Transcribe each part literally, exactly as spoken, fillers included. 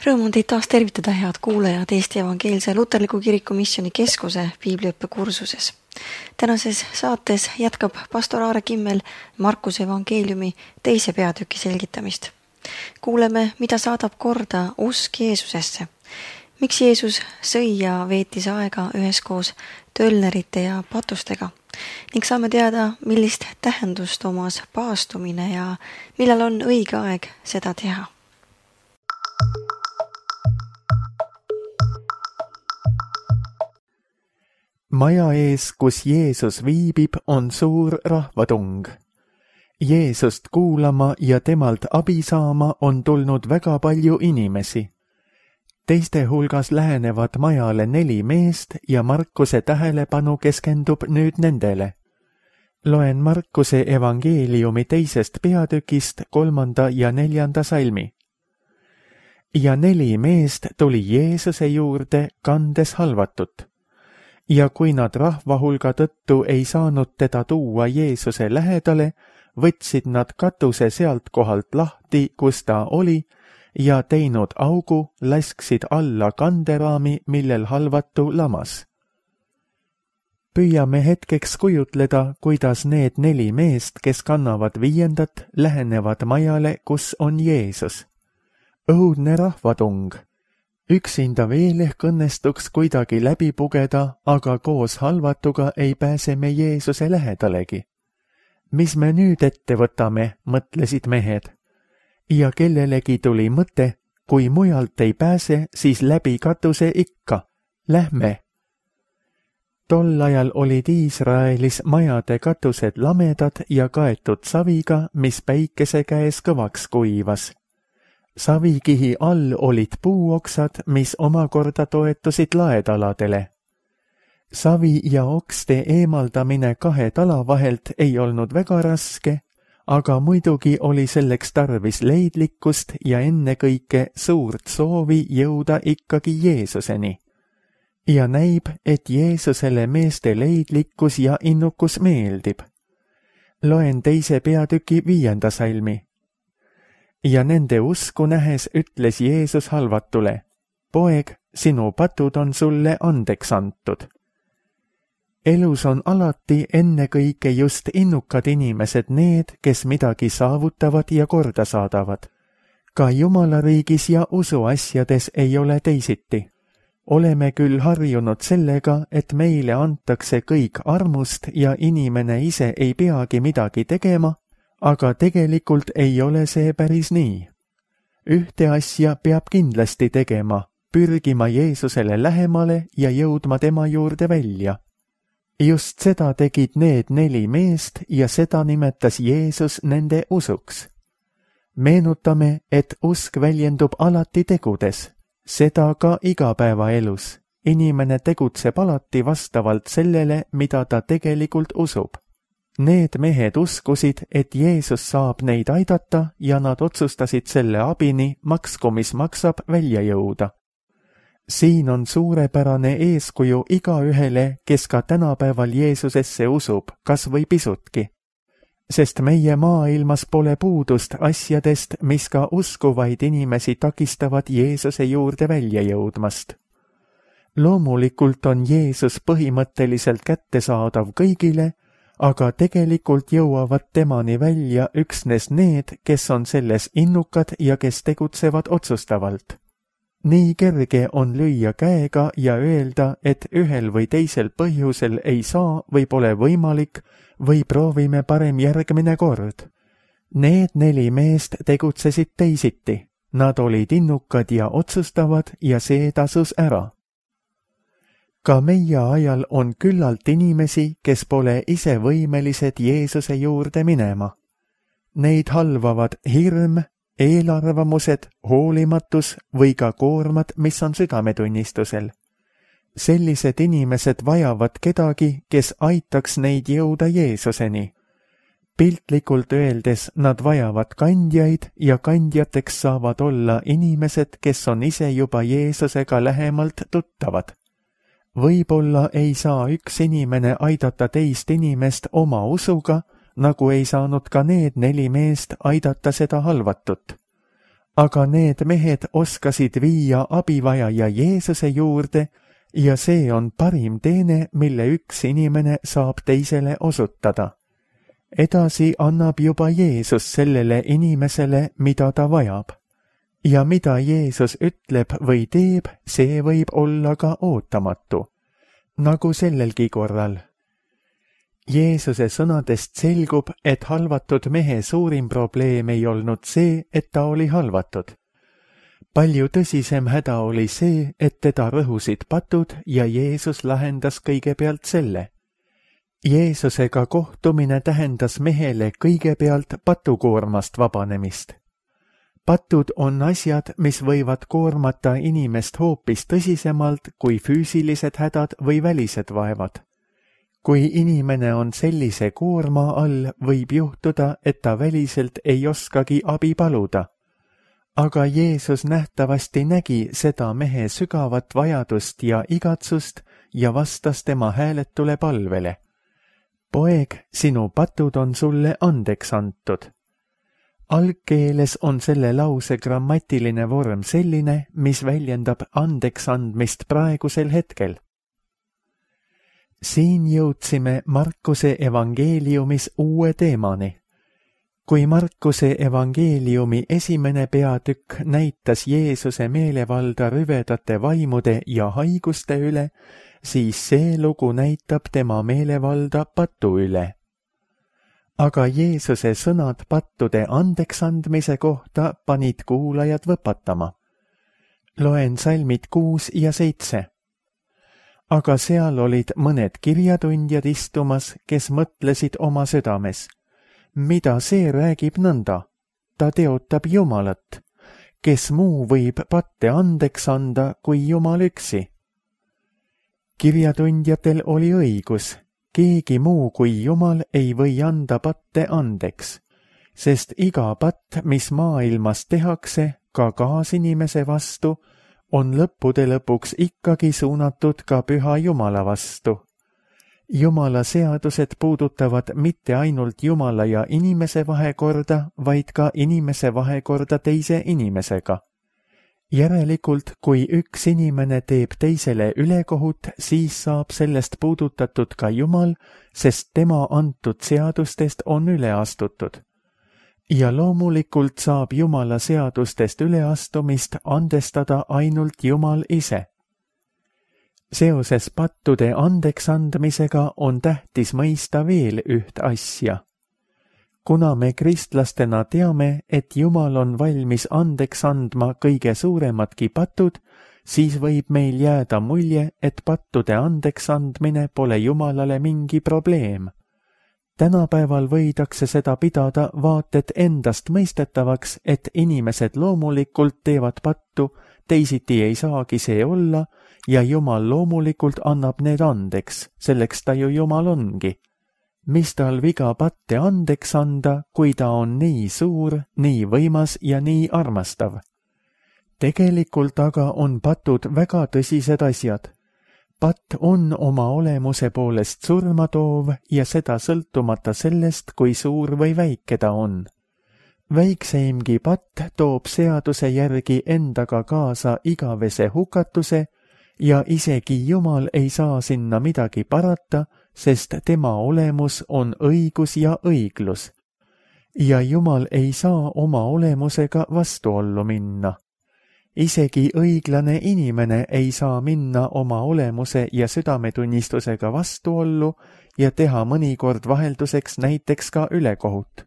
Rõõm on teid taas tervitada, head kuulajad Eesti Evangeelse Luterliku Kiriku Missioni Keskuse piibliõppe kursuses. Tänases saates jätkab pastor Aare Kimmel Markuse evangeeliumi teise peatüki selgitamist. Kuuleme, mida saadab korda usk Jeesusesse. Miks Jeesus sõi ja veetis aega üheskoos tölnerite ja patustega ning saame teada, millist tähendust omas paastumine ja millal on õige aeg seda teha. Maja ees, kus Jeesus viibib, on suur rahvatung. Jeesust kuulama ja temalt abi saama on tulnud väga palju inimesi. Teiste hulgas lähenevad majale neli meest ja Markuse tähelepanu keskendub nüüd nendele. Loen Markuse evangeeliumi teisest peatükist kolmanda ja neljanda salmi. Ja neli meest tuli Jeesuse juurde kandes halvatut. Ja kui nad rahvahulga tõttu ei saanud teda tuua Jeesuse lähedale, võtsid nad katuse sealt kohalt lahti, kus ta oli, ja teinud augu, lasksid alla kanderaami, millel halvatu lamas. Püüame hetkeks kujutleda, kuidas need neli meest, kes kannavad viiendat, lähenevad majale, kus on Jeesus. Õudne rahvatung. Üksinda veel ehk õnnestuks kuidagi läbi pugeda, aga koos halvatuga ei pääse me Jeesuse lähedalegi. Mis me nüüd ette võtame, mõtlesid mehed. Ja kellelegi tuli mõte, kui mujalt ei pääse, siis läbi katuse ikka. Lähme. Tol ajal olid Iisraelis majade katused lamedad ja kaetud saviga, mis päikese käes kõvaks kuivas. Savikihi all olid puuoksad, mis omakorda toetusid laedaladele. Savi ja okste eemaldamine kahe tala vahelt ei olnud väga raske, aga muidugi oli selleks tarvis leidlikkust ja ennekõike suurt soovi jõuda ikkagi Jeesuseni. Ja näib, et Jeesusele meeste leidlikkus ja innukus meeldib. Loen teise peatüki viienda salmi. Ja nende usku nähes ütles Jeesus halvatule, poeg, sinu patud on sulle andeks antud. Elus on alati ennekõike just innukad inimesed need, kes midagi saavutavad ja korda saadavad. Ka Jumala riigis ja usuasjades ei ole teisiti. Oleme küll harjunud sellega, et meile antakse kõik armust ja inimene ise ei peagi midagi tegema, aga tegelikult ei ole see päris nii. Ühte asja peab kindlasti tegema, pürgima Jeesusele lähemale ja jõudma tema juurde välja. Just seda tegid need neli meest ja seda nimetas Jeesus nende usuks. Meenutame, et usk väljendub alati tegudes, seda ka igapäevaelus. Inimene tegutseb alati vastavalt sellele, mida ta tegelikult usub. Need mehed uskusid, et Jeesus saab neid aidata ja nad otsustasid selle abini maksku, mis maksab, välja jõuda. Siin on suurepärane eeskuju igaühele, kes ka tänapäeval Jeesusesse usub, kas või pisutki. Sest meie maailmas pole puudust asjadest, mis ka uskuvaid inimesi takistavad Jeesuse juurde välja jõudmast. Loomulikult on Jeesus põhimõtteliselt kättesaadav kõigile, aga tegelikult jõuavad temani välja üksnes need, kes on selles innukad ja kes tegutsevad otsustavalt. Nii kerge on lüüa käega ja öelda, et ühel või teisel põhjusel ei saa või pole võimalik või proovime parem järgmine kord. Need neli meest tegutsesid teisiti. Nad olid innukad ja otsustavad ja see tasus ära. Ka meie ajal on küllalt inimesi, kes pole ise võimelised Jeesuse juurde minema. Neid halvavad hirm, eelarvamused, hoolimatus või ka koormad, mis on südametunnistusel. Sellised inimesed vajavad kedagi, kes aitaks neid jõuda Jeesuseni. Piltlikult öeldes nad vajavad kandjaid ja kandjateks saavad olla inimesed, kes on ise juba Jeesusega lähemalt tuttavad. Võib-olla ei saa üks inimene aidata teist inimest oma usuga, nagu ei saanud ka need neli meest aidata seda halvatut. aga need mehed oskasid viia abivajaja Jeesuse juurde ja see on parim teene, mille üks inimene saab teisele osutada. Edasi annab juba Jeesus sellele inimesele, mida ta vajab. Ja mida Jeesus ütleb või teeb, see võib olla ka ootamatu, nagu sellelgi korral. Jeesuse sõnadest selgub, et halvatud mehe suurim probleem ei olnud see, et ta oli halvatud. Palju tõsisem häda oli see, et teda rõhusid patud ja Jeesus lahendas kõigepealt selle. Jeesusega kohtumine tähendas mehele kõigepealt patukoormast vabanemist. Patud on asjad, mis võivad koormata inimest hoopis tõsisemalt kui füüsilised hädad või välised vaevad. Kui inimene on sellise koorma all, võib juhtuda, et ta väliselt ei oskagi abi paluda. Aga Jeesus nähtavasti nägi seda mehe sügavat vajadust ja igatsust ja vastas tema hääletule palvele. Poeg, sinu patud on sulle andeks antud. Algkeeles on selle lause grammatiline vorm selline, mis väljendab andeks andmist praegusel hetkel. Siin jõudsime Markuse evangeeliumis uue teemani. Kui Markuse evangeeliumi esimene peatükk näitas Jeesuse meelevalda rüvedate vaimude ja haiguste üle, siis see lugu näitab tema meelevalda patu üle. Aga Jeesuse sõnad pattude andeksandmise kohta panid kuulajad võpatama. Loen salmid kuus ja seitse. Aga seal olid mõned kirjatundjad istumas, kes mõtlesid oma südames. Mida see räägib nõnda? Ta teotab Jumalat. Kes muu võib patte andeks anda kui Jumal üksi? Kirjatundjatel oli õigus. Keegi muu kui Jumal ei või anda patte andeks, sest iga patt, mis maailmas tehakse, ka kaasinimese vastu, on lõppude lõpuks ikkagi suunatud ka püha Jumala vastu. Jumala seadused puudutavad mitte ainult Jumala ja inimese vahekorda, vaid ka inimese vahekorda teise inimesega. Järelikult, kui üks inimene teeb teisele ülekohut, siis saab sellest puudutatud ka Jumal, sest tema antud seadustest on üle astutud. Ja loomulikult saab Jumala seadustest üleastumist andestada ainult Jumal ise. Seoses pattude andeksandmisega on tähtis mõista veel üht asja. Kuna me kristlastena teame, et Jumal on valmis andeks andma kõige suuremadki patud, siis võib meil jääda mulje, et pattude andeks andmine pole Jumalale mingi probleem. Tänapäeval võidakse seda pidada vaated endast mõistetavaks, et inimesed loomulikult teevad pattu, teisiti ei saagi see olla, ja Jumal loomulikult annab need andeks, selleks ta ju Jumal ongi. Mis tal viga patte andeks anda, kui ta on nii suur, nii võimas ja nii armastav? Tegelikult aga on patud väga tõsised asjad. Patt on oma olemuse poolest surmatoov ja seda sõltumata sellest, kui suur või väike ta on. Väikseimgi patt toob seaduse järgi endaga kaasa igavese hukatuse ja isegi Jumal ei saa sinna midagi parata, sest tema olemus on õigus ja õiglus. Ja Jumal ei saa oma olemusega vastuollu minna. Isegi õiglane inimene ei saa minna oma olemuse ja südametunnistusega vastuollu ja teha mõnikord vahelduseks näiteks ka ülekohut.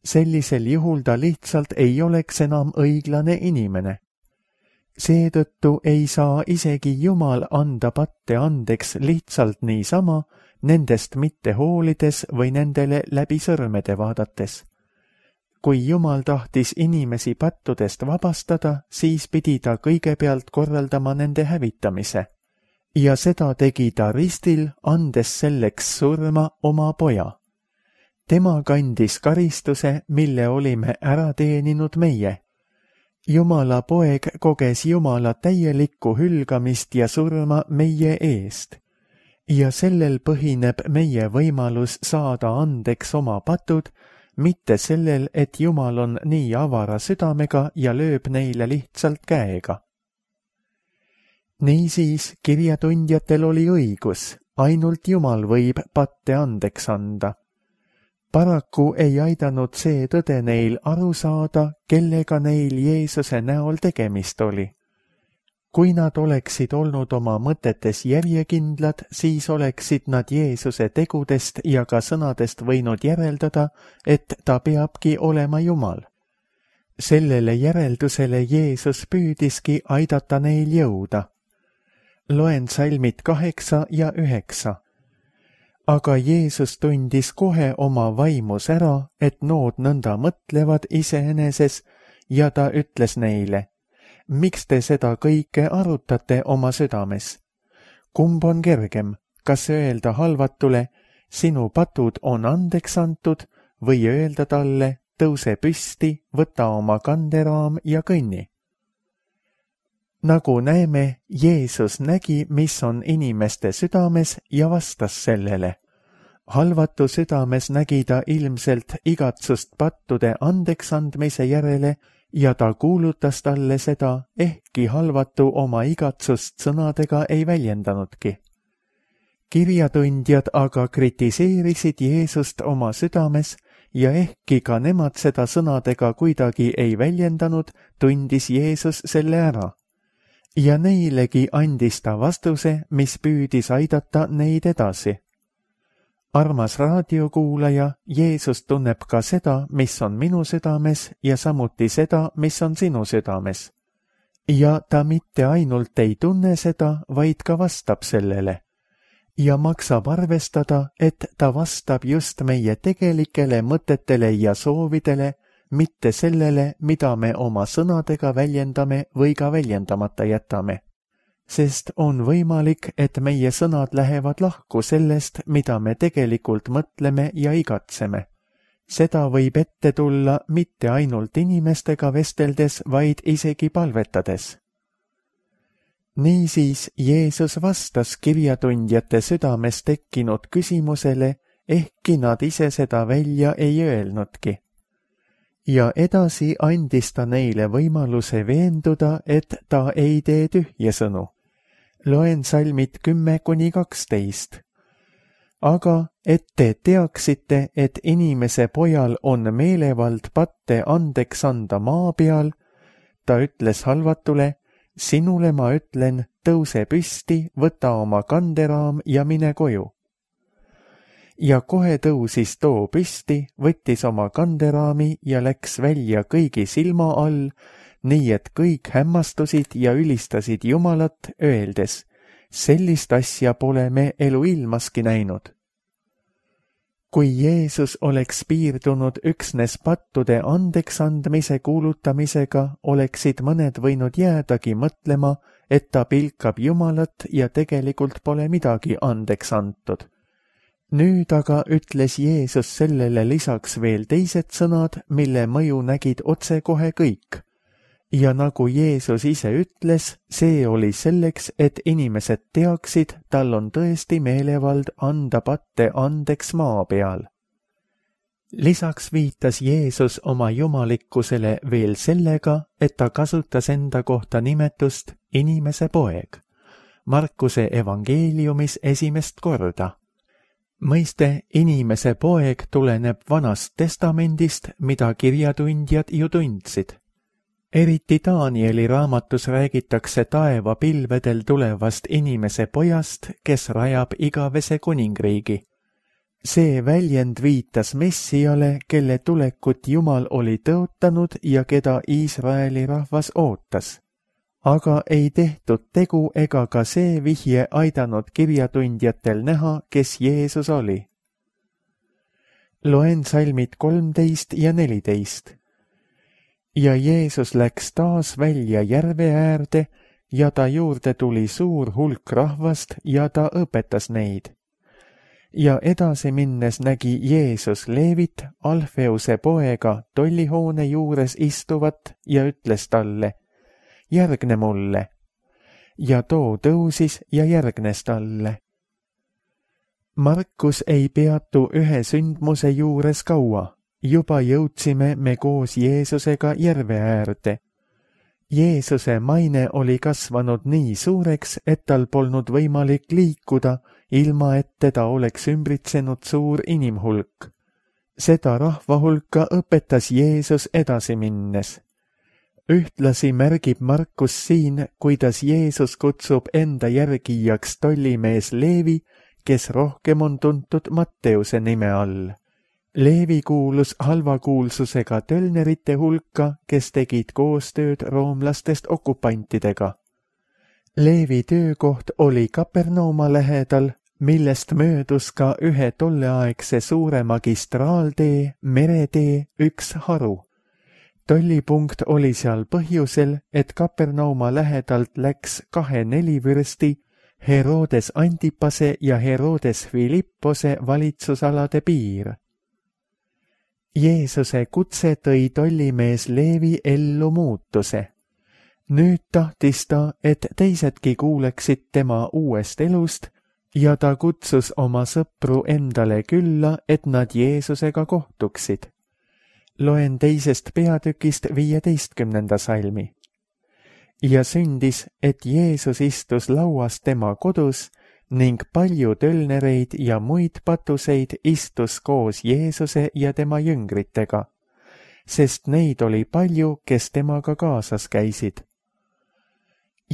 Sellisel juhul ta lihtsalt ei oleks enam õiglane inimene. Seetõttu ei saa isegi Jumal anda patte andeks lihtsalt niisama, nendest mitte hoolides või nendele läbi sõrmede vaadates. Kui Jumal tahtis inimesi pattudest vabastada, siis pidi ta kõigepealt korraldama nende hävitamise. Ja seda tegi ta ristil, andes selleks surma oma poja. Tema kandis karistuse, mille olime ära teeninud meie. Jumala poeg koges Jumala täielikku hülgamist ja surma meie eest. Ja sellel põhineb meie võimalus saada andeks oma patud, mitte sellel, et Jumal on nii avara südamega ja lööb neile lihtsalt käega. Niisiis kirjatundjatel oli õigus, ainult Jumal võib patte andeks anda. Paraku ei aidanud see tõde neil aru saada, kellega neil Jeesuse näol tegemist oli. Kui nad oleksid olnud oma mõtetes järjekindlad, siis oleksid nad Jeesuse tegudest ja ka sõnadest võinud järeldada, et ta peabki olema Jumal. Sellele järeldusele Jeesus püüdiski aidata neil jõuda. Loen salmid kaheksa ja üheksa. Aga Jeesus tundis kohe oma vaimus ära, et nood nõnda mõtlevad iseeneses, ja ta ütles neile: miks te seda kõike arutate oma südames? Kumb on kergem, kas öelda halvatule, sinu patud on andeks antud, või öelda talle, tõuse püsti, võta oma kanderaam ja kõnni? Nagu näeme, Jeesus nägi, mis on inimeste südames ja vastas sellele. Halvatu südames nägi ta ilmselt igatsust pattude andeks andmise järele ja ta kuulutas talle seda, ehkki halvatu oma igatsust sõnadega ei väljendanudki. Kirjatundjad aga kritiseerisid Jeesust oma südames ja ehkki ka nemad seda sõnadega kuidagi ei väljendanud, tundis Jeesus selle ära. Ja neilegi andis ta vastuse, mis püüdis aidata neid edasi. Armas raadiokuulaja, Jeesus tunneb ka seda, mis on minu südames ja samuti seda, mis on sinu südames. Ja ta mitte ainult ei tunne seda, vaid ka vastab sellele. Ja maksab arvestada, et ta vastab just meie tegelikele mõtetele ja soovidele, mitte sellele, mida me oma sõnadega väljendame või ka väljendamata jätame. Sest on võimalik, et meie sõnad lähevad lahku sellest, mida me tegelikult mõtleme ja igatseme. Seda võib ette tulla mitte ainult inimestega vesteldes, vaid isegi palvetades. Niisiis Jeesus vastas kirjatundjate südames tekkinud küsimusele, ehkki nad ise seda välja ei öelnudki. Ja edasi andis ta neile võimaluse veenduda, et ta ei tee tühje sõnu. Loen salmid kümme kuni kaksteist. Aga et te teaksite, et inimese pojal on meelevald patte andeks anda maa peal, ta ütles halvatule, sinule ma ütlen, tõuse püsti, võta oma kanderaam ja mine koju. Ja kohe tõusis too püsti, võttis oma kanderaami ja läks välja kõigi silma all, nii et kõik hämmastusid ja ülistasid Jumalat, öeldes, sellist asja pole me eluilmaski näinud. Kui Jeesus oleks piirdunud üksnes pattude andeks andmise kuulutamisega, oleksid mõned võinud jäädagi mõtlema, et ta pilkab Jumalat ja tegelikult pole midagi andeks antud. Nüüd aga ütles Jeesus sellele lisaks veel teised sõnad, mille mõju nägid otsekohe kõik. Ja nagu Jeesus ise ütles, see oli selleks, et inimesed teaksid, tal on tõesti meelevald anda patte andeks maa peal. Lisaks viitas Jeesus oma jumalikkusele veel sellega, et ta kasutas enda kohta nimetust inimese poeg. Markuse evangeeliumis esimest korda. Mõiste inimese poeg tuleneb Vanast Testamendist, mida kirjatundjad ju tundsid. Eriti Danieli raamatus räägitakse taeva pilvedel tulevast inimese pojast, kes rajab igavese kuningriigi. See väljend viitas Messiale, kelle tulekut Jumal oli tõotanud ja keda Iisraeli rahvas ootas. Aga ei tehtud tegu ega ka see vihje aidanud kirjatundjatel näha, kes Jeesus oli. Loen salmid kolmteist ja neliteist. Ja Jeesus läks taas välja järve äärde ja ta juurde tuli suur hulk rahvast ja ta õpetas neid. Ja edasi minnes nägi Jeesus Leevit, Alfeuse poega, tollihoone juures istuvat ja ütles talle, järgne mulle. Ja too tõusis ja järgnes talle. Markus ei peatu ühe sündmuse juures kaua. juba jõudsime me koos Jeesusega järve äärde. Jeesuse maine oli kasvanud nii suureks, et tal polnud võimalik liikuda, ilma et teda oleks ümbritsenud suur inimhulk. Seda rahvahulka õpetas Jeesus edasi minnes. Ühtlasi märgib Markus siin, kuidas Jeesus kutsub enda järgijaks tollimees Leevi, kes rohkem on tuntud Matteuse nime all. Leevi kuulus halvakuulsusega tölnerite hulka, kes tegid koostööd roomlastest okupantidega. Leevi töökoht oli Kapernauma lähedal, millest möödus ka ühe tolleaegse suure magistraaltee, meretee, üks haru. Tollipunkt oli seal põhjusel, et Kapernauma lähedalt läks kahe nelivürsti, Herodes Antipase ja Herodes Philippose valitsusalade piir. Jeesuse kutse tõi tollimees Leevi ellu muutuse. Nüüd tahtis ta, et teisedki kuuleksid tema uuest elust ja ta kutsus oma sõpru endale külla, et nad Jeesusega kohtuksid. Loen teisest peatükist viieteistkümnenda salmi. Ja sündis, et Jeesus istus lauas tema kodus ning palju tölnereid ja muid patuseid istus koos Jeesuse ja tema jüngritega, sest neid oli palju, kes temaga kaasas käisid.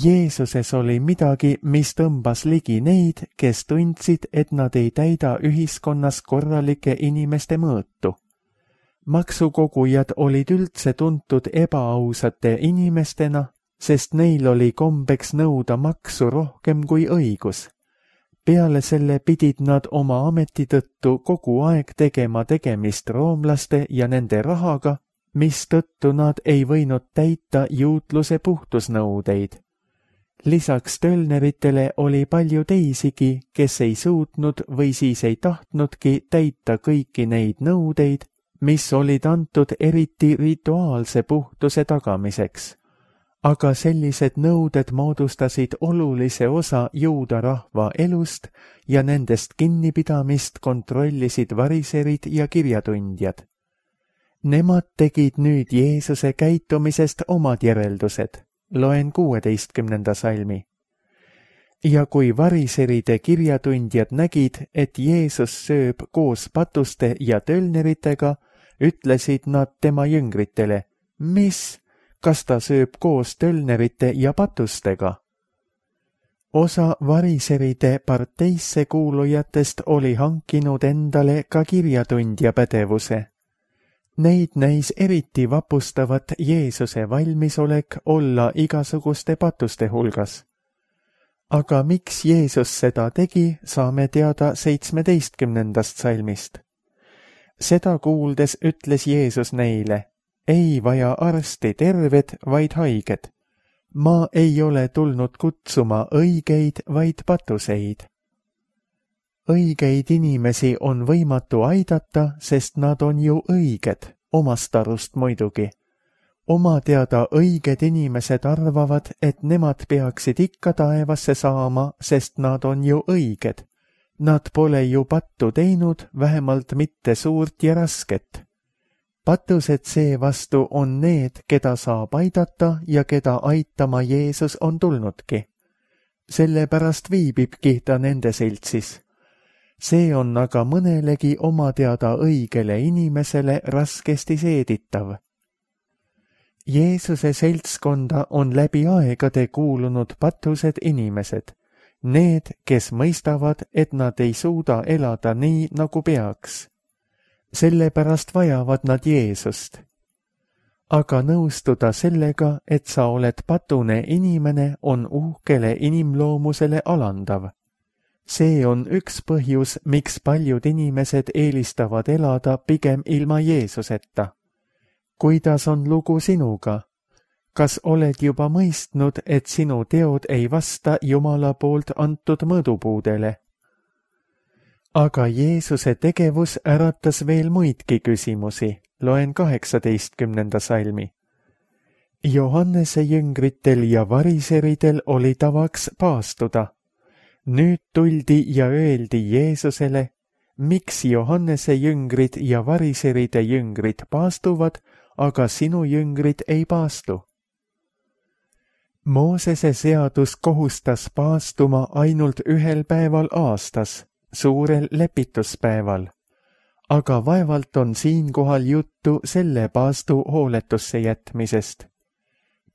Jeesuses oli midagi, mis tõmbas ligi neid, kes tundsid, et nad ei täida ühiskonnas korralike inimeste mõõtu. Maksukogujad olid üldse tuntud ebaausate inimestena, sest neil oli kombeks nõuda maksu rohkem kui õigus. Peale selle pidid nad oma ameti tõttu kogu aeg tegema tegemist roomlaste ja nende rahaga, mis tõttu nad ei võinud täita juutluse puhtusnõudeid. Lisaks tölneritele oli palju teisigi, kes ei suutnud või siis ei tahtnudki täita kõiki neid nõudeid, mis olid antud eriti rituaalse puhtuse tagamiseks. Aga sellised nõuded moodustasid olulise osa juuda rahva elust ja nendest kinnipidamist kontrollisid variserid ja kirjatundjad. Nemad tegid nüüd Jeesuse käitumisest omad järeldused. Loen kuueteistkümnenda salmi. Ja kui variseride kirjatundjad nägid, et Jeesus sööb koos patuste ja tölneritega, ütlesid nad tema jüngritele, mis, kas ta sööb koos tölnerite ja patustega? Osa variseride parteisse kuulujatest oli hankinud endale ka kirjatundja pädevuse. Neid näis eriti vapustavat Jeesuse valmisolek olla igasuguste patuste hulgas. Aga miks Jeesus seda tegi, saame teada seitsmeteistkümnendast salmist. Seda kuuldes ütles Jeesus neile, ei vaja arsti terved, vaid haiged. Ma ei ole tulnud kutsuma õigeid, vaid patuseid. Õigeid inimesi on võimatu aidata, sest nad on ju õiged, omast arust muidugi. Oma teada õiged inimesed arvavad, et nemad peaksid ikka taevasse saama, sest nad on ju õiged. Nad pole ju pattu teinud, vähemalt mitte suurt ja rasket. Patused seevastu on need, keda saab aidata ja keda aitama Jeesus on tulnudki. Sellepärast viibibki ta nende seltsis. See on aga mõnelegi oma teada õigele inimesele raskesti seeditav. Jeesuse seltskonda on läbi aegade kuulunud patused inimesed, need, kes mõistavad, et nad ei suuda elada nii, nagu peaks. Sellepärast vajavad nad Jeesust. Aga nõustuda sellega, et sa oled patune inimene, on uhkele inimloomusele alandav. See on üks põhjus, miks paljud inimesed eelistavad elada pigem ilma Jeesuseta. Kuidas on lugu sinuga? Kas oled juba mõistnud, et sinu teod ei vasta Jumala poolt antud mõõdupuudele? Aga Jeesuse tegevus äratas veel muidki küsimusi. Loen kaheksateistkümnenda salmi. Johannese jüngritel ja variseridel oli tavaks paastuda. Nüüd tuldi ja öeldi Jeesusele, miks Johannese jüngrid ja variseride jüngrid paastuvad, aga sinu jüngrid ei paastu? Moosese seadus kohustas paastuma ainult ühel päeval aastas, suurel lepituspäeval, aga vaevalt on siinkohal juttu selle paastu hooletusse jätmisest.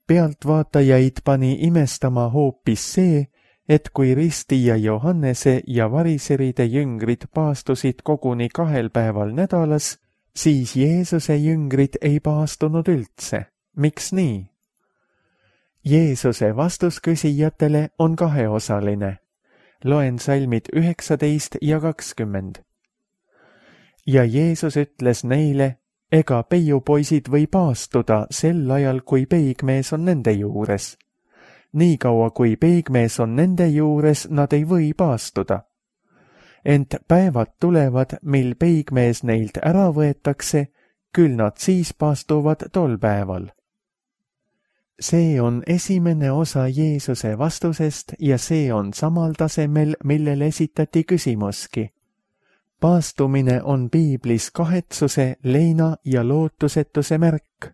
Pealtvaatajaid pani imestama hoopis see, et kui Risti ja Johannese ja variseride jüngrid paastusid koguni kahel päeval nädalas, siis Jeesuse jüngrid ei paastunud üldse. Miks nii? Jeesuse vastus küsijatele on kaheosaline. Loen salmid üheksateist ja kakskümmend. Ja Jeesus ütles neile, ega peiupoisid või paastuda sel ajal, kui peigmees on nende juures. Niikaua kui peigmees on nende juures, nad ei või paastuda. Ent päevad tulevad, mil peigmees neilt ära võetakse, küll nad siis paastuvad tol päeval. See on esimene osa Jeesuse vastusest ja see on samal tasemel, millele esitati küsimuski. Paastumine on piiblis kahetsuse, leina ja lootusetuse märk.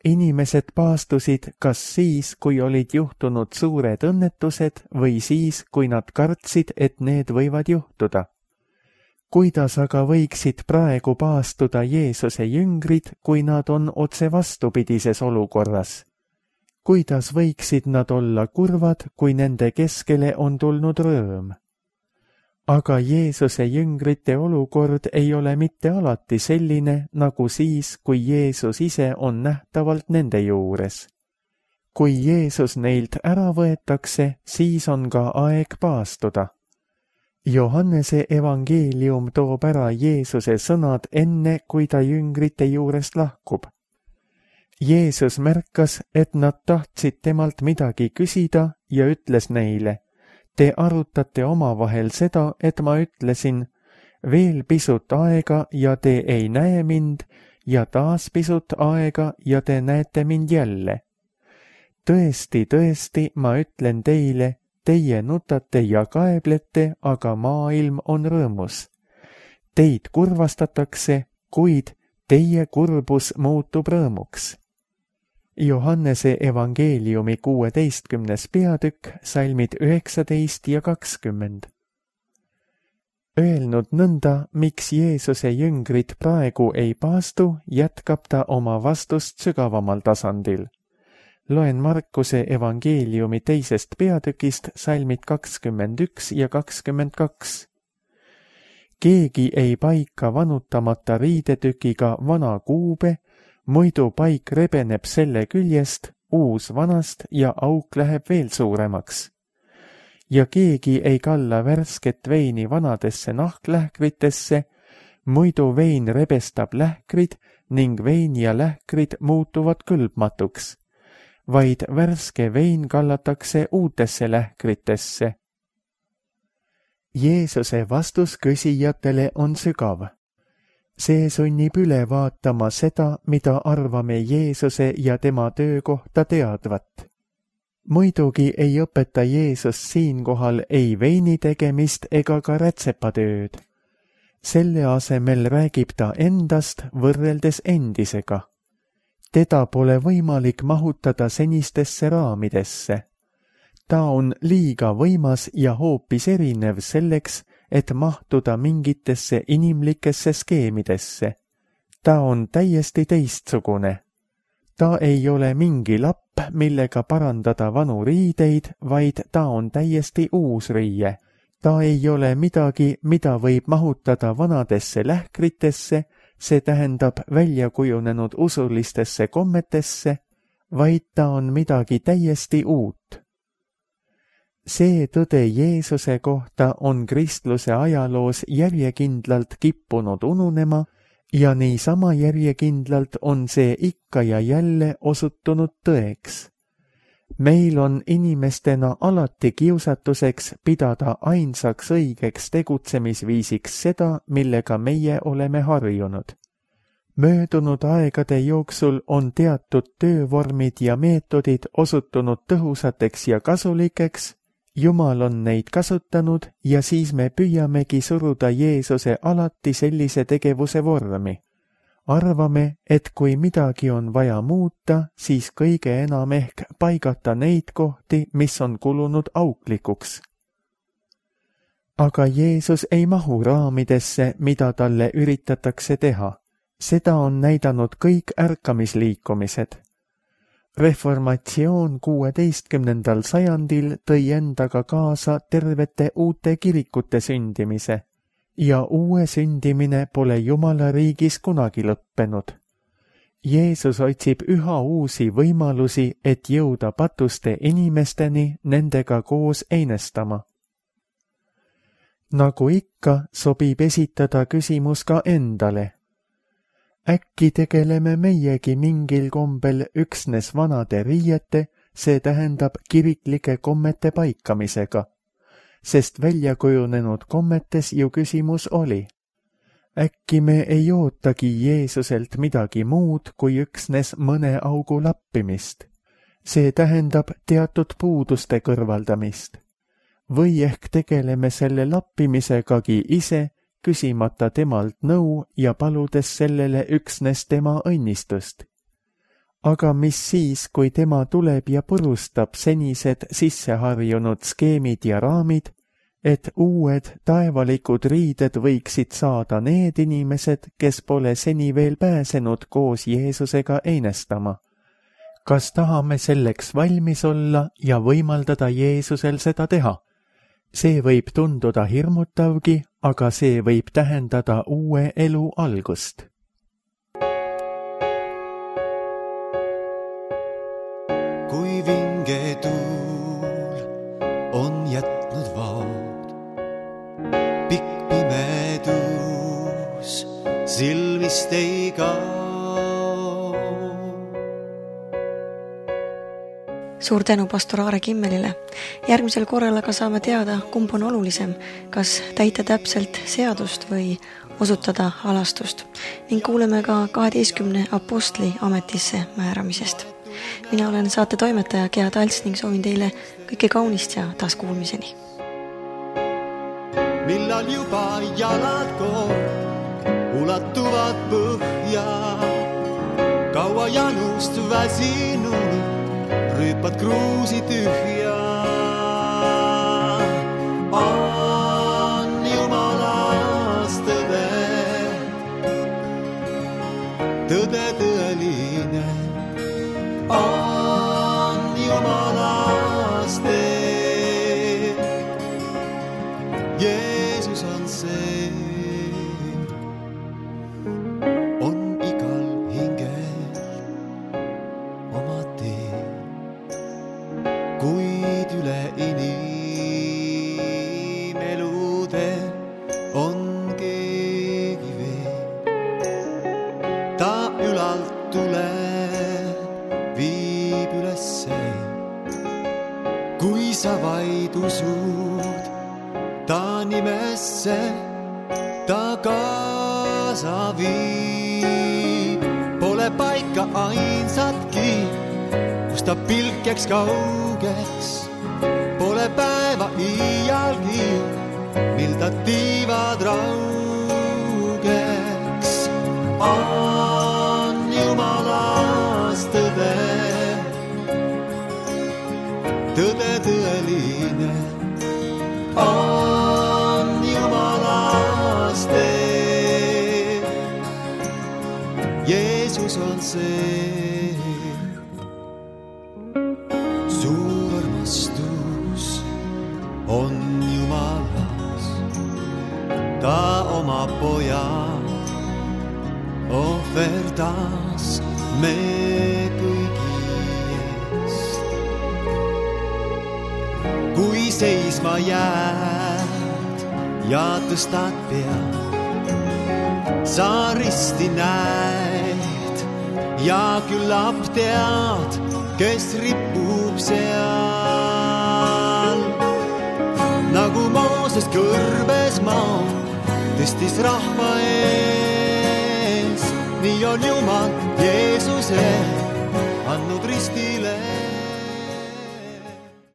Inimesed paastusid kas siis, kui olid juhtunud suured õnnetused või siis, kui nad kartsid, et need võivad juhtuda. Kuidas aga võiksid praegu paastuda Jeesuse jüngrid, kui nad on otse vastupidises olukorras? Kuidas võiksid nad olla kurvad, kui nende keskele on tulnud rõõm? Aga Jeesuse jüngrite olukord ei ole mitte alati selline, nagu siis, kui Jeesus ise on nähtavalt nende juures. Kui Jeesus neilt ära võetakse, siis on ka aeg paastuda. Johannese evangeelium toob ära Jeesuse sõnad enne, kui ta jüngrite juurest lahkub. Jeesus märkas, et nad tahtsid temalt midagi küsida ja ütles neile, te arutate omavahel seda, et ma ütlesin, veel pisut aega ja te ei näe mind ja taas pisut aega ja te näete mind jälle. Tõesti, tõesti, ma ütlen teile, teie nutate ja kaeblete, aga maailm on rõõmus. Teid kurvastatakse, kuid teie kurbus muutub rõõmuks. Johannese evangeeliumi kuueteistkümnes peatükk, salmid üheksateist ja kakskümmend. Öelnud nõnda, miks Jeesuse jüngrid praegu ei paastu, jätkab ta oma vastust sügavamal tasandil. Loen Markuse evangeeliumi teisest peatükist, salmid kakskümmend üks ja kakskümmend kaks. Keegi ei paika vanutamata riidetükiga vana kuube, muidu paik rebeneb selle küljest, uus vanast ja auk läheb veel suuremaks. Ja keegi ei kalla värsket veini vanadesse nahklähkritesse, muidu vein rebestab lähkrid ning vein ja lähkrid muutuvad kõlbmatuks, vaid värske vein kallatakse uutesse lähkritesse. Jeesuse vastus küsijatele on sügav. See sunnib üle vaatama seda, mida arvame Jeesuse ja tema töö kohta teadvat. Muidugi ei õpeta Jeesus siinkohal ei veini tegemist ega ka rätsepatööd. Selle asemel räägib ta endast võrreldes endisega. Teda pole võimalik mahutada senistesse raamidesse. Ta on liiga võimas ja hoopis erinev selleks, et mahtuda mingitesse inimlikesse skeemidesse. Ta on täiesti teistsugune. Ta ei ole mingi lapp, millega parandada vanu riideid, vaid ta on täiesti uus riie. Ta ei ole midagi, mida võib mahutada vanadesse lähkritesse, see tähendab välja kujunenud usulistesse kommetesse, vaid ta on midagi täiesti uut. See tõde Jeesuse kohta on kristluse ajaloos järjekindlalt kippunud ununema ja niisama järjekindlalt on see ikka ja jälle osutunud tõeks. Meil on inimestena alati kiusatuseks pidada ainsaks õigeks tegutsemisviisiks seda, millega meie oleme harjunud. Möödunud aegade jooksul on teatud töövormid ja meetodid osutunud tõhusateks ja kasulikeks, Jumal on neid kasutanud ja siis me püüamegi suruda Jeesuse alati sellise tegevuse vormi. Arvame, et kui midagi on vaja muuta, siis kõige enam ehk paigata neid kohti, mis on kulunud auklikuks. Aga Jeesus ei mahu raamidesse, mida talle üritatakse teha. Seda on näidanud kõik ärkamisliikumised. Reformatsioon kuueteistkümnendal sajandil tõi endaga kaasa tervete uute kirikute sündimise ja uue sündimine pole Jumala riigis kunagi lõppenud. Jeesus otsib üha uusi võimalusi, et jõuda patuste inimesteni nendega koos einestama. Nagu ikka, sobib esitada küsimus ka endale. Äkki tegeleme meiegi mingil kombel üksnes vanade riiete, see tähendab kiriklike kommete paikamisega, sest väljakujunenud kommetes ju küsimus oli. Äkki me ei ootagi Jeesuselt midagi muud kui üksnes mõne augu lappimist. See tähendab teatud puuduste kõrvaldamist. Või ehk tegeleme selle lappimisegagi ise, küsimata temalt nõu ja paludes sellele üksnes tema õnnistust. Aga mis siis, kui tema tuleb ja purustab senised sisseharjunud skeemid ja raamid, et uued taevalikud riided võiksid saada need inimesed, kes pole seni veel pääsenud koos Jeesusega einestama? Kas tahame selleks valmis olla ja võimaldada Jeesusel seda teha? See võib tunduda hirmutavgi, aga see võib tähendada uue elu algust. Kui vinge tuul on jätnud vaod, pikk pimedus silmist ei kao. Suur tänu pastor Aare Kimmelile. Järgmisel korral aga saame teada, kumb on olulisem, kas täita täpselt seadust või osutada halastust. Ning kuuleme ka kaheteistkümne apostli ametisse määramisest. Mina olen saate toimetaja Gea Talts ning soovin teile kõike kaunist ja taas kuulmiseni. Millal juba jalad kord ulatuvad põhja, kaua janust väsinud rüüpad kruusi tühja. On Jumalas tõde, tõde tõeline. On Jumalas tee, Jeesus on see. On igal hingel oma tee, kuid üle inimelude on keegi veel. Ta ülalt tuleb, viib ülesse. Kui sa vaid usud ta nimesse, ta kaasa viib. Pole paika ainsatki, kus ta pilk jääks kaugeks. Pole päeva iialgi, mil ta tiivad raugeks. On Jumalas tõde, tõde tõeline. On Jumalas tee, Jeesus on see. Suur armastus on Jumalas, ta oma poja ohverdas me kõigi eest. Kui seisma jääd ja tõstad pead, sa risti näed ja küllap tead, kes ripub seal. Nagu Mooses kõrbes maa tõstis rahva ees, nii on Jumal Jeesuse andnud ristile.